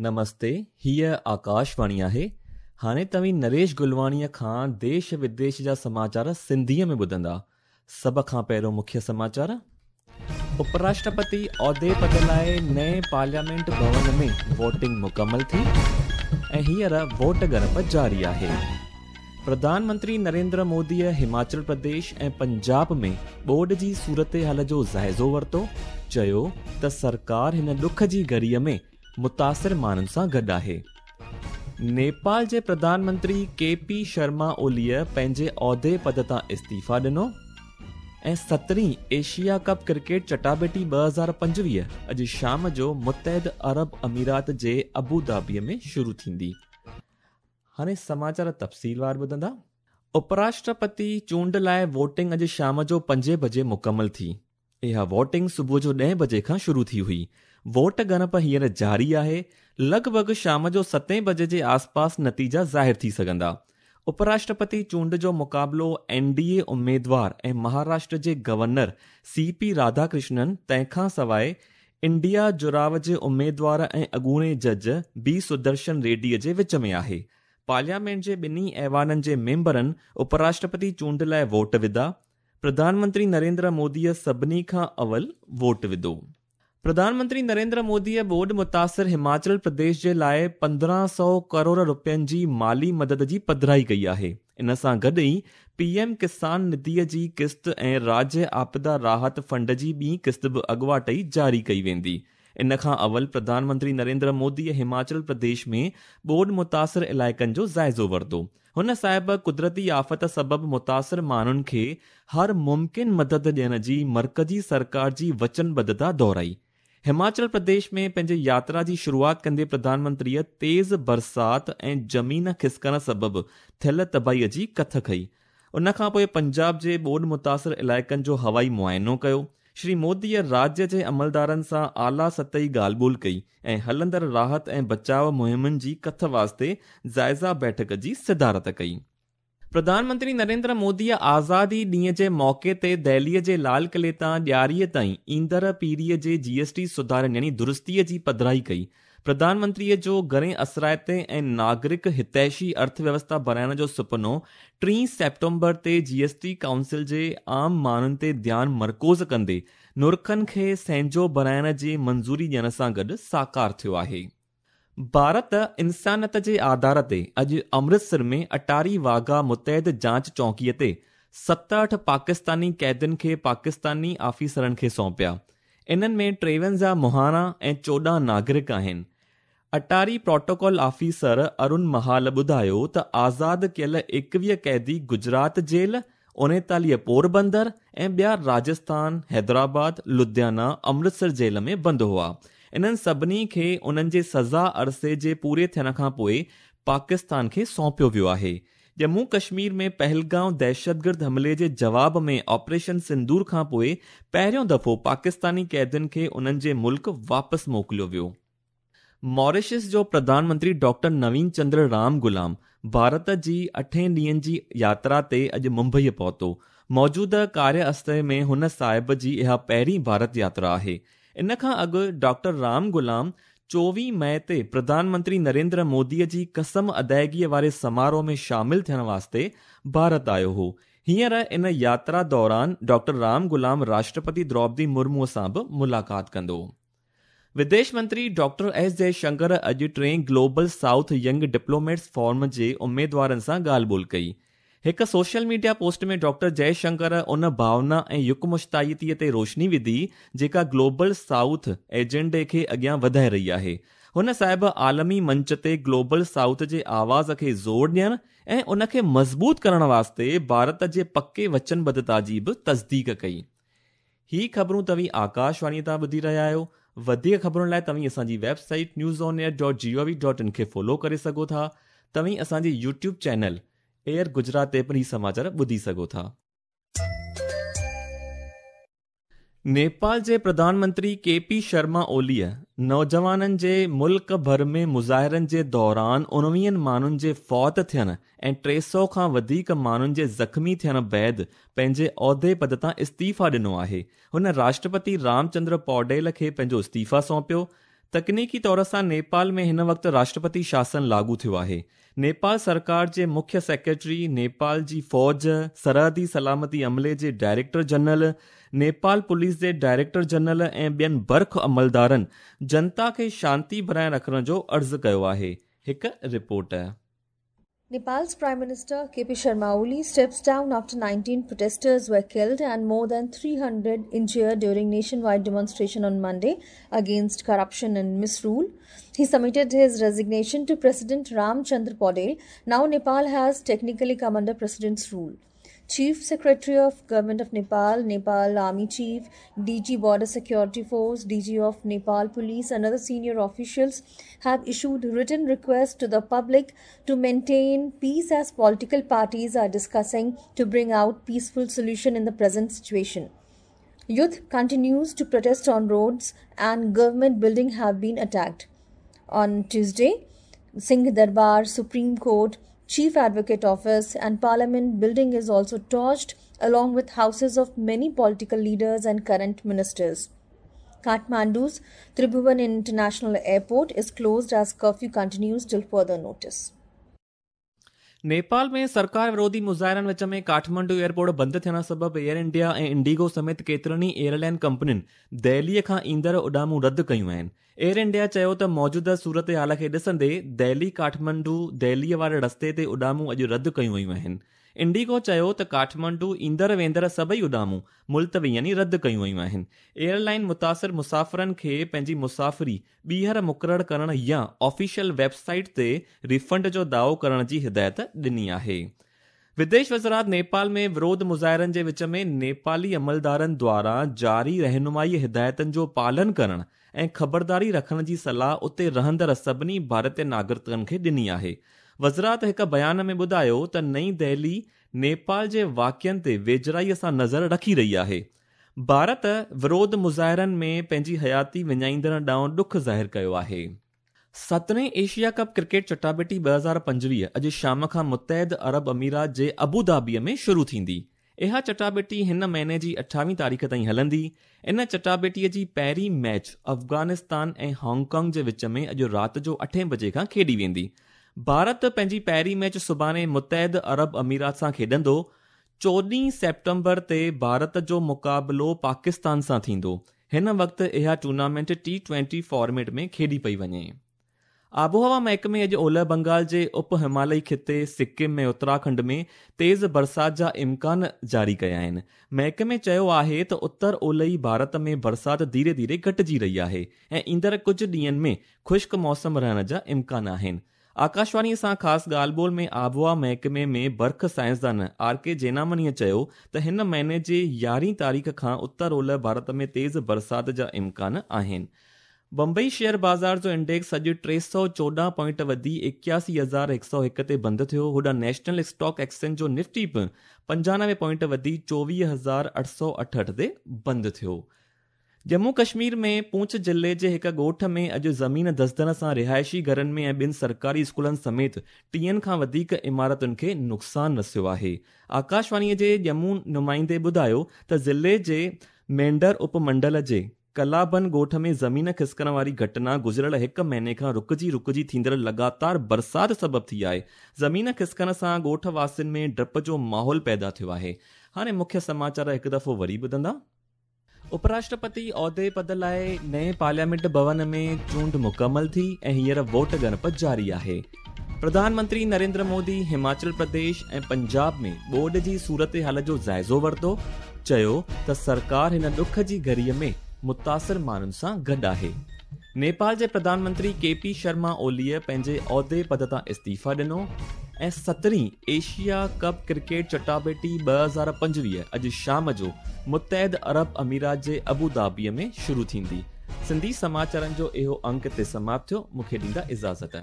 نمستي، هيء آڪاشواڻي آهي. هاڻي توهين نريش گلواڻيء کان ديش وديش جا سماچار سنڌيء ۾ ٻڌندا. سڀ کان پهريون مکيه سماچار. اپراشٽرپتي عهدي پد لاء نئين پارليامينٽ ڀون ۾ ووٽنگ مڪمل ٿي ۽ هينئر ووٽ ڳڻپ جاري آهي. پرڌان منتري نريندر موديء هماچل پرديش ۽ پنجاب ۾ ٻوڏ جي صورتحال جو جائزو ورتو، چيو ته سرڪار هن ڏک جي گهڙيء ۾ متاثر ماڻهن سان گڏ آهي. نيپال جي پرڌان منتري ڪي پي شرما اوليء پنهنجي عهدي پد تان استعيفيٰ ڏنو ۽ سترهين ايشيا ڪپ ڪرڪيٽ چٽاڀيٽي 2025 اڄ شام جو متحده عرب امارات جي ابوظهبي ۾ شروع ٿيندي. هاڻي سماچار تفصيلوار ٻڌندا. اپراشٽرپتي چونڊ لاء ووٽنگ اڄ شام جو پنجين بجي مڪمل ٿي. اها ووٽنگ صبح جو ڏهين بجي کان شروع ٿي هئي. ووٽ ڳڻپ هينئر جاري آهي. لڳ ڀڳ شام جو ستين بجي جي آس پاس نتيجا ظاهر ٿي سگهندا. اپراشٽرپتي چونڊ جو مقابلو اين ڊي اي اميدوار ۽ مهاراشٽر جي گورنر سي پي راڌاڪرشنن تنهن کان سواء انڊيا جڙاء جي اميدوار ۽ اڳوڻي جج بي سدرشن ريڊي جي وچ ۾ آهي. پارليامينٽ جي ٻنهي ايوانن جي ميمبرن اپراشٽرپتي چونڊ لاء ووٽ وڌا. پرڌان منتري نريندر موديء سڀني کان اول ووٽ وڌو. پرڌان منتري نريندر موديء ٻوڏ متاثر هماچل پرديش جي لاء 1500 ڪروڙ رپين جي مالي مدد جي پڌرائي ڪئي آهي. ان سان گڏ ئي پي ايم ڪسان نڌيء جي قسط ۽ راجيه آپدا راحت فنڊ جي ٻي قسط به اڳواٽ ئي جاري ڪئي ويندي. ان کان اول پرڌان منتري نريندر موديء هماچل پرديش ۾ ٻوڏ متاثر علائقن جو جائزو ورتو. هن صاحب قدرتي آفت سبب متاثر ماڻهن کي هر ممڪن مدد ڏيڻ جي مرڪزي سرڪار جي وچنبڌتا دهرائي. هماچل پرديش ۾ پنهنجي ياترا جي شروعات ڪندي پرڌان منتريء تيز برسات ۽ زمين کسڪڻ سبب ٿيل تباهيء جي ڪٿ ڪئي. ان کان پوء پنجاب جي ٻوڏ متاثر علائقن جو هوائي معائنو ڪيو. شري موديء راجيه جي عملدارن سان اعليٰ سطحي ڳالهه ٻولهه ڪئي ۽ هلندڙ راحت ۽ بچاء مهمن جي ڪٿ واسطي جائزه بيٺڪ جي صدارت ڪئي. پرڌان منتري نريندر موديء آزادي ڏينهن جي موقعي تي دهليء جي لال قلعي تان ڏياريء تائين ايندڙ پيڙهيء جي جي ايس ٽي سڌارن يعني درستيء جي پڌرائي ڪئي. پرڌان منتريء جو گهڻي اثرائتي ۽ ناگرڪ هتيشي ارٿ ويوسٿا بڻائڻ جو سپنو ٽين سيپٽمبر تي جي ايس ٽي ڪائونسل جي عام ماڻهن تي ڌيان مرڪوز ڪندي نرخن کي سهنجو بڻائڻ جي منظوري ڏيڻ سان گڏ ساڪار ٿيو آهي. ڀارت انسانيت جي آڌار تي اڄ امرتسر ۾ اٽاري واگها متحد جاچ چونڪي تي 67 پاڪستاني قيدين کي پاڪستاني آفيسرن کي سونپيا. انهن ۾ 53 مهاڻا ۽ 14 ناگرڪ آهن. اٽاري پروٽوڪول آفيسر ارون مهال ٻڌايو ته آزاد ڪيل 21 قيدي گجرات جيل، 39 پوربندر ۽ ٻيا راجسٿان، حيدرآباد، لڌيانا، امرتسر جيل ۾ بند هئا. انهن سڀني کي انهن جي سزا عرصي جي پوري ٿيڻ کانپوء پاڪستان کي سونپيو ويو آهي. ڄمون ڪشمير ۾ پهلگائون دهشتگرد حملي جي جواب ۾ آپريشن سندور کانپوء پهريون دفعو پاڪستاني قيدين کي انهن جي ملڪ واپس موڪليو ويو. ماريشس جو پرڌان منتري ڊاڪٽر نوين چندر رام غلام ڀارت جي اٺين ڏينهن جي ياترا تي اڄ ممبئي پهتو. موجوده ڪاريه استي ۾ هن صاحب جي اها پهرين ڀارت ياترا آهي. ان کان اڳ ڊاڪٽر رام غلام 24 مئي تي پرڌان منتري نريندر موديء جي قسم ادائگيء واري سماروهه ۾ شامل ٿيڻ واسطي ڀارت آيو هو. هينئر ان ياترا دوران ڊاڪٽر رام غلام راشٽرپتي دروپدي مرموء سان به ملاقات ڪندو. وديش منتري ڊاڪٽر ايس جئي شنڪر اڄ ٽئين global south young diplomats forum جي اميدوارن سان ڳالهه ٻولهه ڪئي. هڪ social media post ۾ doctor Jai Shankar ان ڀاونا ۽ يڪمشتائيتي تي روشني وڌي جيڪا گلوبل سائوٿ ايجنڊي کي اڳيان وڌائي رهي آهي. هن صاحب عالمي منچ تي گلوبل سائوٿ جي آواز کي زور ڏيڻ ۽ ان کي مضبوط ڪرڻ واسطي ڀارت جي پڪي وچنبڌتا جي به تصديق ڪئي. هي خبرون توهين آڪاش واڻي تان ٻڌي رهيا آهيو. وڌيڪ خبرن لاء توهين اسان جي website news on air dot G O V dot in کي فالو ڪري سگهو ٿا. توهين اسان جي يوٽيوب چينل ايئر گجرات تي پڻ هي سماچار ٻڌي سگهو ٿا. نيپال جي پرڌان منتري ڪي پي شرما اوليء نوجوانن جي ملڪ ڀر ۾ مظاهرن جي دوران اڻويهن ماڻهن جي فوت ٿيڻ ۽ 300 کان وڌيڪ ماڻهن جي زخمي ٿيڻ بعد پنهنجي عهدي پد تان استعيفيٰ ڏنو آهي. هن راشٽرپتي رام چندر پوڊيل کي پنهنجو استعيفيٰ سونپيو. تڪنيڪي طور سان نيپال ۾ هن وقت راشٽرپتي شاسن لاڳو ٿيو آهي. نيپال سرڪار جي مکيه سيڪريٽري، نيپال جي فوج، سرحدي سلامتي عملي جي ڊائريڪٽر جنرل، نيپال پوليس جي ڊائريڪٽر جنرل ۽ ٻين برک عملدارن جنتا کي شانتي بڻائي رکڻ جو عرض ڪيو آهي. هڪ report. Nepal's Prime Minister KP Sharma Oli steps down after 19 protesters were killed and more than 300 injured during nationwide demonstration on Monday against corruption and misrule. He submitted his resignation to President Ram Chandra Paudel. Now Nepal has technically come under President's rule. Chief Secretary of Government of Nepal, Nepal Army Chief, DG Border Security Force, DG of Nepal Police and other senior officials have issued written requests to the public to maintain peace as political parties are discussing to bring out peaceful solution in the present situation. Youth continues to protest on roads and government building have been attacked. On Tuesday, Singh Darbar, Supreme Court, Chief Advocate Office and Parliament building is also torched along with houses of many political leaders and current ministers. Kathmandu's Tribhuvan International Airport is closed as curfew continues till further notice. Nepal ۾ سرڪار وروڌي مظاهرن وچ ۾ Kathmandu airport بند ٿيڻ سبب air India ۽ indigo سميت ڪيترن ئي airline ڪمپنين دهلي کان ايندڙ اڏامون رد ڪيون آهن. ايئر انڊيا چيو ته موجوده صورتحال کي ڏسندي دهلي ڪاٺمانڊو دهلي واري رستي تي اڏامون اڄ رد ڪيون ويون آهن. انڊيگو چيو ته ڪاٺمانڊو ايندڙ ويندڙ سڀئي اڏامون ملتوي يعني رد ڪيون ويون آهن. ايئرلائن متاثر مسافرن کي پنهنجي مسافري ٻيهر مقرر ڪرڻ يا آفيشل ويب سائيٽ تي ريفنڊ جو دعوو ڪرڻ جي هدايت ڏني آهي. وديش وزارت نيپال ۾ وروڌ مظاهرن جي وچ ۾ نيپالي عملدارن دواران جاري رهنمائي هدايتن جو پالن ڪرڻ ۽ خبرداري رکڻ جي صلاح اتي رهندڙ سڀني ڀارتي ناگرڪن کي ڏني آهي. وزارت هڪ بيان ۾ ٻڌايو ته نئين دهلي نيپال جي واقعن تي ويجهڙائي سان نظر رکي رهي آهي. ڀارت وروڌ مظاهرن ۾ پنهنجي حياتي وڃائيندڙن ڏانهن ڏک ظاهر ڪيو آهي. سترهين ايشيا ڪپ ڪرڪيٽ چٽاڀيٽي 2025 اڄ شام کان متحده عرب امارات جي ابوڌابي ۾ شروع ٿيندي. اها چٽاڀيٽي هن مهيني جي 28 تاريخ تائين هلندي. ان چٽاڀيٽي جي پهرين ميچ افغانستان ۽ هانگ ڪانگ جي وچ ۾ اڄ رات جو 8 بجي کان کيڏي ويندي. ڀارت پنهنجي پهرين ميچ سڀاڻي متحده عرب امارات سان کيڏندو. 14 سيپٽمبر تي ڀارت جو مقابلو پاڪستان سان ٿيندو. هن وقت اها ٽورنامينٽ ٽي ٽوئنٽي فارميٽ ۾ کيڏي پئي وڃي. آبهوا محڪمي اڄ اولهه بنگال جي اپ همالئي خطي، سڪم ۽ اتراکنڊ ۾ تيز برسات جا امڪان جاري ڪيا آهن. محڪمي چيو آهي ته اتر اولهي ڀارت ۾ برسات ڌيري ڌيري گهٽجي رهي آهي ۽ ايندڙ ڪجهه ڏينهن ۾ خشڪ موسم رهڻ جا امڪان آهن. آڪاشواڻي سان خاص ڳالهه ٻولهه ۾ آبهوا محڪمي ۾ برک سائنسدان آر ڪي جينامنيء چيو ته هن مهيني جي 11 تاريخ کان اتر اولهه ڀارت ۾ تيز برسات جا امڪان آهن. بمبئي شيئر بازار جو انڊيڪس اڄ 314 پوائنٽ وڌي 81101 تي بند ٿيو. هوڏانهن نيشنل اسٽاڪ ايڪسچينج جو نفٽي به 95 پوائنٽ وڌي 24868 تي بند ٿيو. ڄمون ڪشمير ۾ پونڇ ضلعي جي هڪ ڳوٺ ۾ اڄ زمين ڌسجڻ سان رهائشي گهرن ۾ ۽ ٻن سرڪاري اسڪولن سميت 30 کان وڌيڪ عمارتن کي نقصان رسيو آهي. آڪاشواڻي جي ڄمون نمائندي ٻڌايو ته ضلعي جي مينڍر اپ منڊل جي ڪلابن ڳوٺ ۾ زمين کسڪڻ واري گهٽنا گذريل هڪ مهيني کان رڪجي رڪجي ٿيندڙ لڳاتار برسات سبب ٿي آهي. زمين کسڪڻ سان ڳوٺ واسين ۾ ڊپ جو ماحول پيدا ٿيو آهي. هاڻي مکيه سماچار هڪ دفعو وري ٻڌندا. اپراشٽرپتي عهدي پد لاء نئين پارليامينٽ ڀون ۾ چونڊ مڪمل ٿي ۽ هينئر ووٽ ڳڻپ جاري آهي. پرڌان منتري نريندر مودي هماچل پرديش ۽ پنجاب ۾ ٻوڏ جي صورتحال جو جائزو ورتو، چيو ته سرڪار هن ڏک جي گهڙي ۾ متاثر ماڻهن سان گڏ آهي. نيپال جي پرڌان منتري ڪي پي شرما اوليء پنهنجي عهدي پد تان استعيفيٰ ڏنو ۽ سترهين ايشيا ڪپ ڪرڪيٽ چٽاڀيٽي 2025 اڄ شام جو متحده عرب امارات جي ابوڌابيء ۾ شروع ٿيندي. سنڌي سماچارن جو اهو انڪ هتي سماپت ٿيو. مون کي ڏيندا اجازت.